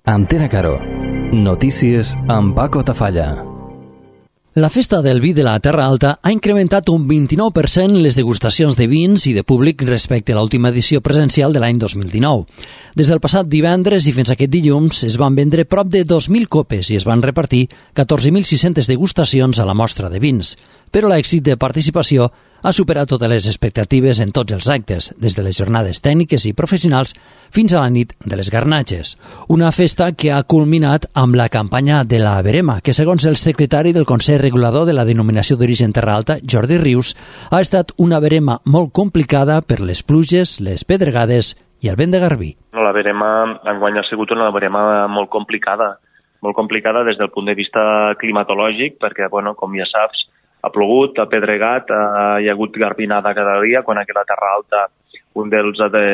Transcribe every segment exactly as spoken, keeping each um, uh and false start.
Antena Caro. Notícies amb Paco Tafalla. La Festa del Vi de la Terra Alta ha incrementat un vint-i-nou per cent les degustacions de vins i de públic respecte a l'última edició presencial de l'any dos mil dinou. Des del passat divendres i fins aquest dilluns es van vendre prop de dos mil copes i es van repartir catorze mil sis-centes degustacions a la mostra de vins. Però l'èxit de participació ha superat totes les expectatives en tots els actes, des de les jornades tècniques i professionals fins a la nit de les garnatges. Una festa que ha culminat amb la campanya de la Verema, que segons el secretari del Consell Regulador de la Denominació d'Origen Terra Alta, Jordi Rius, ha estat una verema molt complicada per les pluges, les pedregades i el vent de garbí. La verema enguany ha sigut una verema molt complicada, molt complicada des del punt de vista climatològic, perquè, bueno, com ja saps, ha plogut, ha pedregat, ha, hi ha hagut garbinada cada dia, quan aquí a la Terra Alta un dels, de,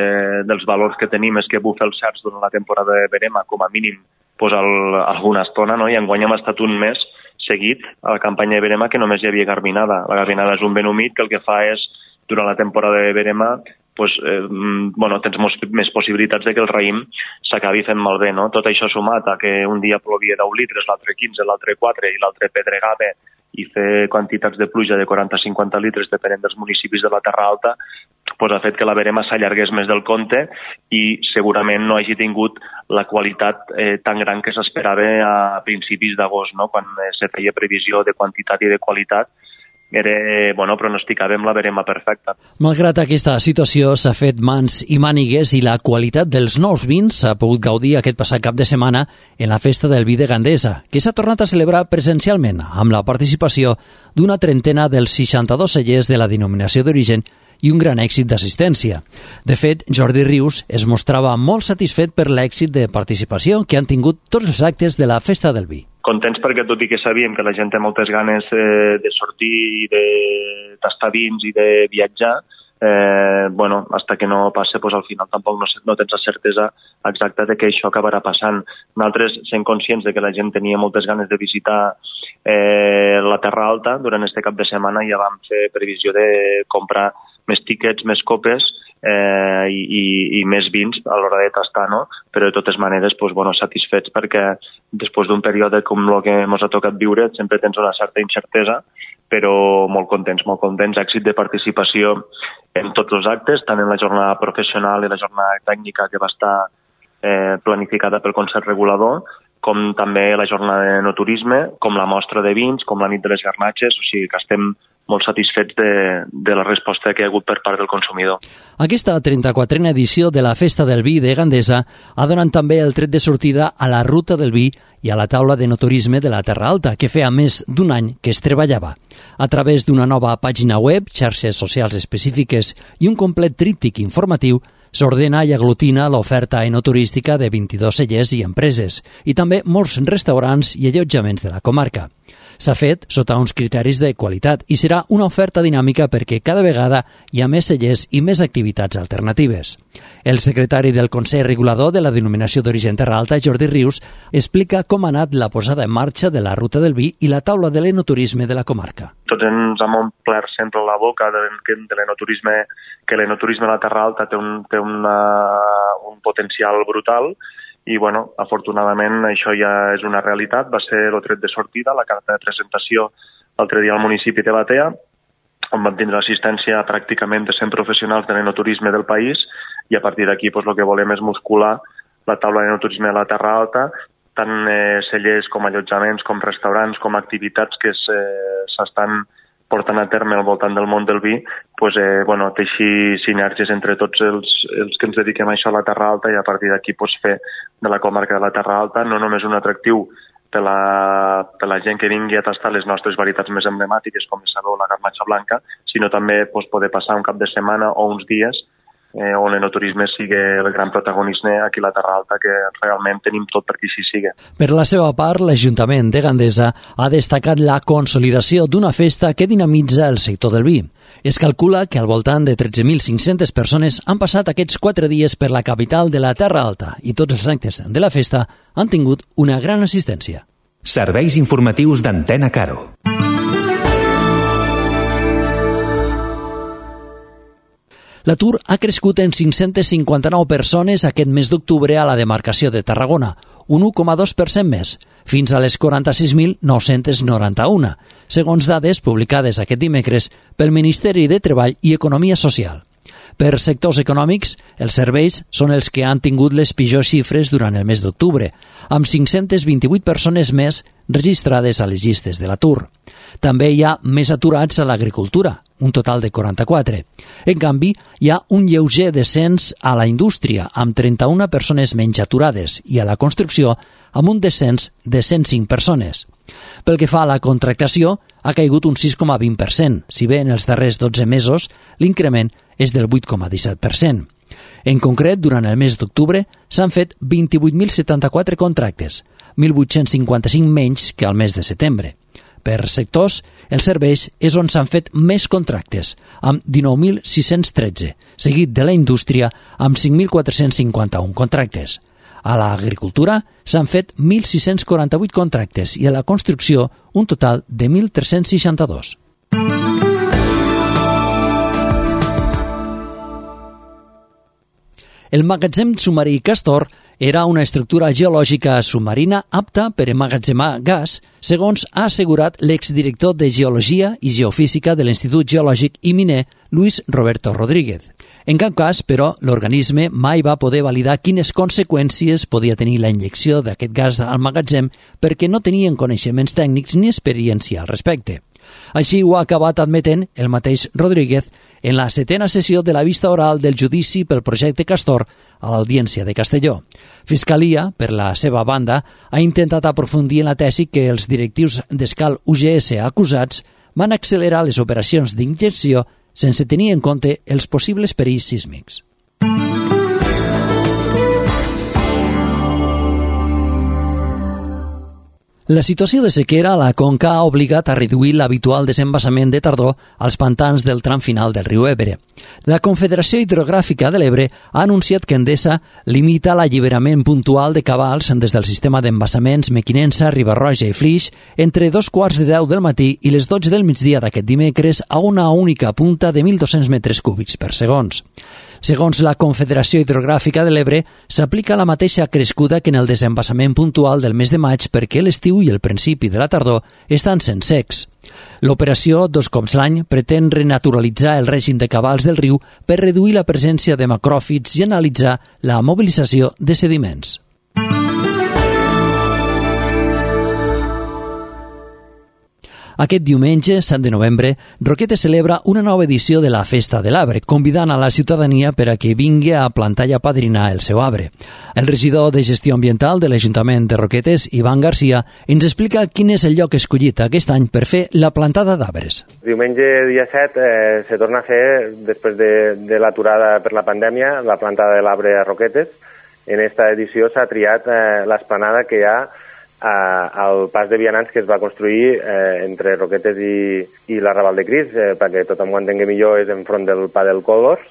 dels valors que tenim és que bufa els cerç durant la temporada de verema, com a mínim pues, el, alguna estona, no? I enguany hem estat un mes seguit a la campanya de verema que només hi havia garbinada. La garbinada és un vent humit que el que fa és, durant la temporada de verema, pues, eh, bueno, tens mos, més possibilitats de que el raïm s'acabi fent malbé, no? Tot això sumat a que un dia plovia deu litres, l'altre quinze, l'altre quatre i l'altre pedregava i fer quantitats de pluja de quaranta a cinquanta litres depenent dels municipis de la Terra Alta, pues, ha fet que la verema s'allargués més del compte i segurament no hagi tingut la qualitat eh, tan gran que s'esperava a principis d'agost, no? Quan eh, se feia previsió de quantitat i de qualitat. Era, bueno, pronosticàvem la verema perfecta. Malgrat aquesta situació, s'ha fet mans i mànigues i la qualitat dels nous vins s'ha pogut gaudir aquest passat cap de setmana en la Festa del Vi de Gandesa, que s'ha tornat a celebrar presencialment amb la participació d'una trentena dels seixanta-dos cellers de la denominació d'origen i un gran èxit d'assistència. De fet, Jordi Rius es mostrava molt satisfet per l'èxit de participació que han tingut tots els actes de la Festa del Vi. Contents perquè, tot i que sabíem que la gent té moltes ganes eh, de sortir i de tastar vins i de viatjar, eh, bueno, hasta que no passe, pues, al final tampoc no, no tens la certesa exacta de que això acabarà passant. Nosaltres, sent conscients de que la gent tenia moltes ganes de visitar eh, la Terra Alta, durant este cap de setmana ja vam fer previsió de comprar més tíquets, més copes eh, i, i, i més vins a l'hora de tastar, no? Però de totes maneres, pues, bueno, satisfets perquè després d'un període com el que ens ha tocat viure sempre tens una certa incertesa, però molt contents, molt contents, èxit de participació en tots els actes, tant en la jornada professional i la jornada tècnica que va estar eh, planificada pel Consell Regulador, com també la jornada de enoturisme, com la mostra de vins, com la nit de les garnatges, o sigui que estem molt satisfets de, de la resposta que hi ha hagut per part del consumidor. Aquesta trenta-quatrena edició de la Festa del Vi de Gandesa ha donat també el tret de sortida a la Ruta del Vi i a la taula d'enoturisme de la Terra Alta, que feia més d'un any que es treballava. A través d'una nova pàgina web, xarxes socials específiques i un complet tríptic informatiu, s'ordena i aglutina l'oferta enoturística de vint-i-dos cellers i empreses, i també molts restaurants i allotjaments de la comarca. S'ha fet sota uns criteris de qualitat i serà una oferta dinàmica perquè cada vegada hi ha més cellers i més activitats alternatives. El secretari del Consell Regulador de la Denominació d'Origen Terra Alta, Jordi Rius, explica com ha anat la posada en marxa de la Ruta del Vi i la taula de l'enoturisme de la comarca. Tots ens hem omplert sempre la boca de, de l'enoturisme, que l'enoturisme a la Terra Alta té un, té una, un potencial brutal. I, bueno, afortunadament això ja és una realitat. Va ser el tret de sortida, la carta de presentació l'altre dia al municipi de Batea, on vam tindre assistència pràcticament de cent professionals de l'enoturisme del país, i a partir d'aquí pues, el que volem és muscular la taula d'enoturisme de la Terra Alta, tant eh, cellers com allotjaments, com restaurants, com activitats que s'estan portant a terme al voltant del món del vi, pues, eh, bueno, teixir sinergies entre tots els, els que ens dediquem a això a la Terra Alta i a partir d'aquí pues, fer de la comarca de la Terra Alta no només un atractiu per la, per la gent que vingui a tastar les nostres varietats més emblemàtiques com el Saló o la Garnatxa Blanca, sinó també pues, poder passar un cap de setmana o uns dies eh, on l'enoturisme sigui el gran protagonista aquí a la Terra Alta, que realment tenim tot perquè així sigui. Per la seva part, l'Ajuntament de Gandesa ha destacat la consolidació d'una festa que dinamitza el sector del vi. Es calcula que al voltant de tretze mil cinc-centes persones han passat aquests quatre dies per la capital de la Terra Alta i tots els actes de la festa han tingut una gran assistència. Serveis informatius d'Antena Caro. L'atur ha crescut en cinc-centes cinquanta-nou persones aquest mes d'octubre a la demarcació de Tarragona, un u coma dos per cent més, fins a les quaranta-sis mil nou-cents noranta-un, segons dades publicades aquest dimecres pel Ministeri de Treball i Economia Social. Per sectors econòmics, els serveis són els que han tingut les pitjors xifres durant el mes d'octubre, amb cinc-centes vint-i-vuit persones més registrades a les llistes de l'atur. També hi ha més aturats a l'agricultura, un total de quaranta-quatre. En canvi, hi ha un lleuger descens a la indústria, amb trenta-una persones menys aturades, i a la construcció, amb un descens de cent cinc persones. Pel que fa a la contractació, ha caigut un sis coma vint per cent, si bé en els darrers dotze mesos l'increment és del vuit coma disset per cent. En concret, durant el mes d'octubre s'han fet vint-i-vuit mil setanta-quatre contractes, mil vuit-cents cinquanta-cinc menys que al mes de setembre. Per sectors, els serveis és on s'han fet més contractes, amb dinou mil sis-cents tretze, seguit de la indústria amb cinc mil quatre-cents cinquanta-un contractes. A l'agricultura s'han fet mil sis-cents quaranta-vuit contractes i a la construcció un total de mil tres-cents seixanta-dos. El magatzem submarí Castor era una estructura geològica submarina apta per emmagatzemar gas, segons ha assegurat l'exdirector de Geologia i Geofísica de l'Institut Geològic i Miner, Luis Roberto Rodríguez. En cap cas, però, l'organisme mai va poder validar quines conseqüències podia tenir la injecció d'aquest gas al magatzem perquè no tenien coneixements tècnics ni experiència al respecte. Així ho ha acabat admetent el mateix Rodríguez en la setena sessió de la vista oral del judici pel projecte Castor a l'Audiència de Castelló. Fiscalia, per la seva banda, ha intentat aprofundir en la tesi que els directius d'Escal U G S acusats van accelerar les operacions d'injecció sense tenir en compte els possibles perills sísmics. La situació de sequera a la Conca ha obligat a reduir l'habitual desembassament de tardor als pantans del tram final del riu Ebre. La Confederació Hidrogràfica de l'Ebre ha anunciat que Endesa limita l'alliberament puntual de cabals des del sistema d'embassaments Mequinensa, Riba-roja i Flix entre dos quarts de deu del matí i les dotze del migdia d'aquest dimecres a una única punta de mil dos-cents metres cúbics per segons. Segons la Confederació Hidrogràfica de l'Ebre, s'aplica la mateixa crescuda que en el desembassament puntual del mes de maig perquè l'estiu i el principi de la tardor estan sent secs. L'operació, dos cops l'any, pretén renaturalitzar el règim de cabals del riu per reduir la presència de macròfits i analitzar la mobilització de sediments. Aquest diumenge, set de novembre, Roquetes celebra una nova edició de la Festa de l'Arbre, convidant a la ciutadania per a que vingui a plantar i a padrinar el seu arbre. El regidor de Gestió Ambiental de l'Ajuntament de Roquetes, Ivan Garcia, ens explica quin és el lloc escollit aquest any per fer la plantada d'arbres. Diumenge, dia set, eh, se torna a fer, després de, de l'aturada per la pandèmia, la plantada de l'arbre a Roquetes. En esta edició s'ha triat eh, l'esplanada que hi ha al pas de vianants que es va construir eh, entre Roquetes i, i la Raval de Cris, eh, perquè tothom ho entengui millor, és enfront del pa del Còlors.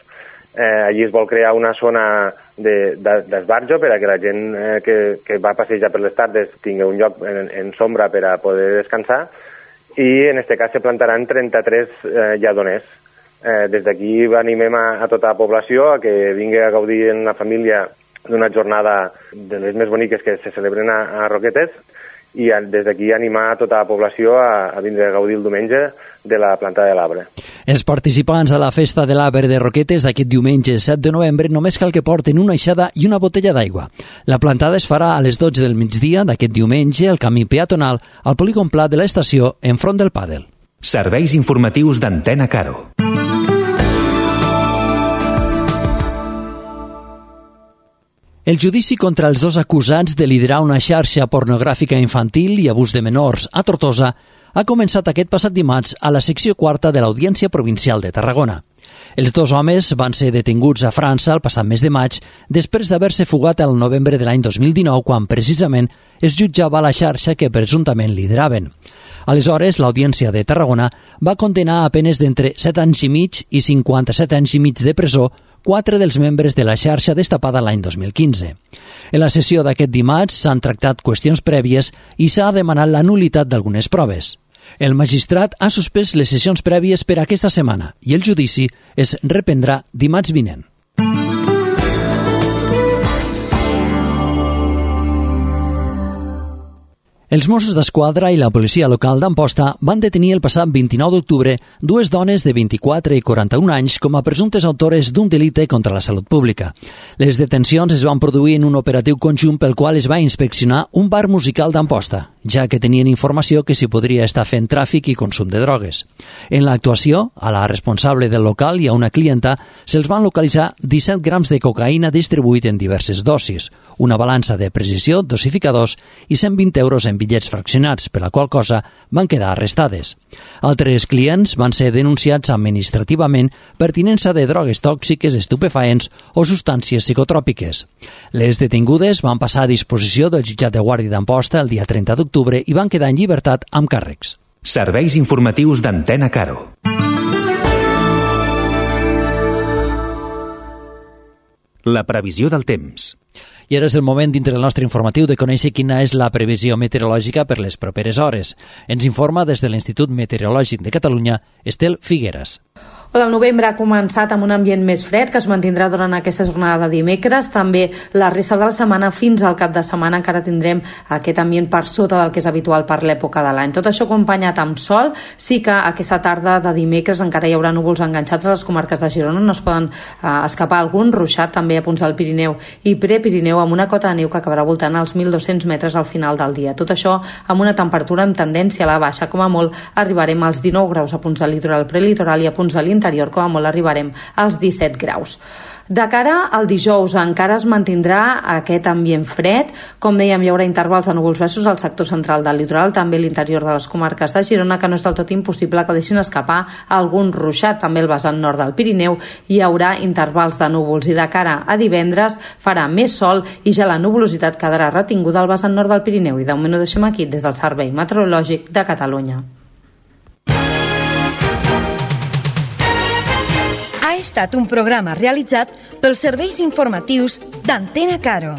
Eh, allí es vol crear una zona d'esbarjo de, per a que la gent eh, que, que va passejar per les tardes tingui un lloc en, en sombra per a poder descansar, i en aquest cas se plantaran trenta-tres eh, lladoners. Eh, des d'aquí animem a, a tota la població a que vingui a gaudir en la família d'una jornada de les més boniques que se celebren a, a Roquetes, i a, des d'aquí animar a tota la població a, a vindre a gaudir el diumenge de la plantada de l'arbre. Els participants a la Festa de l'Arbre de Roquetes d'aquest diumenge set de novembre només cal que porten una aixada i una botella d'aigua. La plantada es farà a les dotze del migdia d'aquest diumenge al camí peatonal al polígon pla de l'estació enfront del pàdel. Serveis informatius d'Antena Caro. El judici contra els dos acusats de liderar una xarxa pornogràfica infantil i abús de menors a Tortosa ha començat aquest passat dimarts a la secció quarta de l'Audiència Provincial de Tarragona. Els dos homes van ser detinguts a França el passat mes de maig després d'haver-se fugat el novembre de l'any dos mil dinou, quan precisament es jutjava la xarxa que presumptament lideraven. Aleshores, l'Audiència de Tarragona va condenar a penes d'entre set anys i mig i cinquanta-set anys i mig de presó quatre dels membres de la xarxa destapada l'any dos mil quinze. En la sessió d'aquest dimarts s'han tractat qüestions prèvies i s'ha demanat la nul·litat d'algunes proves. El magistrat ha suspès les sessions prèvies per aquesta setmana i el judici es reprendrà dimarts vinent. Els Mossos d'Esquadra i la policia local d'Amposta van detenir el passat vint-i-nou d'octubre dues dones de vint-i-quatre i quaranta-un anys com a presumptes autores d'un delicte contra la salut pública. Les detencions es van produir en un operatiu conjunt pel qual es va inspeccionar un bar musical d'Amposta, ja que tenien informació que s'hi podria estar fent tràfic i consum de drogues. En l'actuació, a la responsable del local i a una clienta se'ls van localitzar disset grams de cocaïna distribuït en diverses dosis, una balança de precisió, dosificadors i cent vint euros en bitllets fraccionats, per la qual cosa van quedar arrestades. Altres clients van ser denunciats administrativament per tinença de drogues tòxiques, estupefaents o substàncies psicotròpiques. Les detingudes van passar a disposició del jutjat de guàrdia d'Amposta el dia trenta d'octubre i van quedar en llibertat amb càrrecs. Serveis informatius d'Antena Caro. La previsió del temps. I ara és el moment, dintre del nostre informatiu, de conèixer quina és la previsió meteorològica per les properes hores. Ens informa des de l'Institut Meteorològic de Catalunya, Estel Figueres. El novembre ha començat amb un ambient més fred que es mantindrà durant aquesta jornada de dimecres. També la resta de la setmana fins al cap de setmana encara tindrem aquest ambient per sota del que és habitual per l'època de l'any. Tot això acompanyat amb sol. Sí que aquesta tarda de dimecres encara hi haurà núvols enganxats a les comarques de Girona. No es poden eh, escapar algun ruixat també a punts del Pirineu i Prepirineu amb una cota de neu que acabarà voltant als mil dos-cents metres al final del dia. Tot això amb una temperatura amb tendència a la baixa. Com a molt arribarem als dinou graus a punts del litoral prelitoral i a punts de l'interior, com a molt arribarem als disset graus. De cara al dijous encara es mantindrà aquest ambient fred. Com dèiem, hi haurà intervals de núvols baixos al sector central del litoral, també a l'interior de les comarques de Girona, que no és del tot impossible que deixin escapar algun ruixat. També al vessant nord del Pirineu hi haurà intervals de núvols i de cara a divendres farà més sol i ja la nuvolositat quedarà retinguda al vessant nord del Pirineu. I de moment ho deixem aquí des del Servei Meteorològic de Catalunya. Ha estat un programa realitzat pels serveis informatius d'Antena Caro.